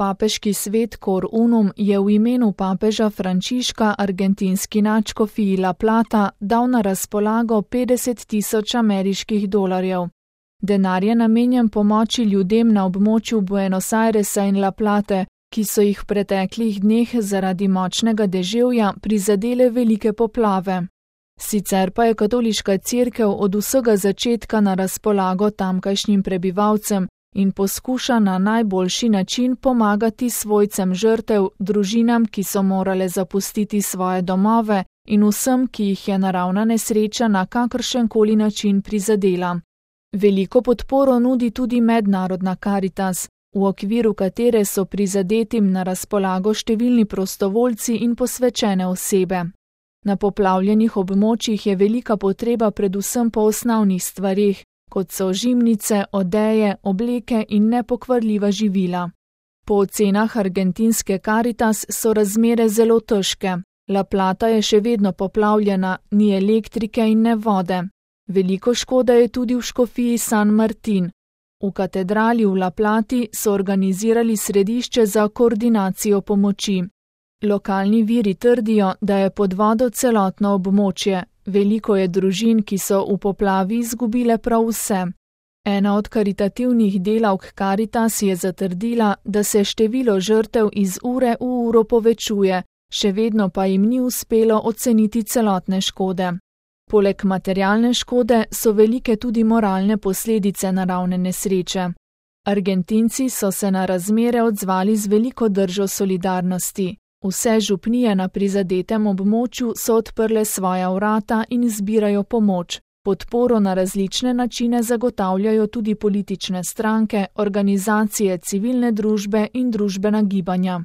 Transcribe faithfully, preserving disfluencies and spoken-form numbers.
Papeški svet Cor Unum je v imenu papeža Frančiška argentinski nadškofiji La Plata dal na razpolago petdeset tisoč ameriških dolarjev. Denar je namenjen pomoči ljudem na območju Buenos Airesa in La Plate, ki so jih v preteklih dneh zaradi močnega deževja prizadele velike poplave. Sicer pa je katoliška cerkev od vsega začetka na razpolago tamkajšnjim prebivalcem in poskuša na najboljši način pomagati svojcem žrtev, družinam, ki so morale zapustiti svoje domove, in vsem, ki jih je naravna nesreča na kakršenkoli način prizadela. Veliko podporo nudi tudi mednarodna Karitas, v okviru katere so prizadetim na razpolago številni prostovoljci in posvečene osebe. Na poplavljenih območjih je velika potreba predvsem po osnovnih stvareh, kot so žimnice, odeje, obleke in nepokvarljiva živila. Po ocenah argentinske Karitas so razmere zelo težke. La Plata je še vedno poplavljena, ni elektrike in ne vode. Veliko škoda je tudi v škofiji San Martin. V katedrali v La Plati so organizirali središče za koordinacijo pomoči. Lokalni viri trdijo, da je pod vodo celotno območje. Veliko je družin, ki so v poplavi izgubile prav vse. Ena od karitativnih delavk Karitas je zatrdila, da se število žrtev iz ure v uro povečuje, še vedno pa jim ni uspelo oceniti celotne škode. Poleg materialne škode so velike tudi moralne posledice naravne nesreče. Argentinci so se na razmere odzvali z veliko držo solidarnosti. Vse župnije na prizadetem območju so odprle svoja vrata in zbirajo pomoč. Podporo na različne načine zagotavljajo tudi politične stranke, organizacije civilne družbe in družbena gibanja.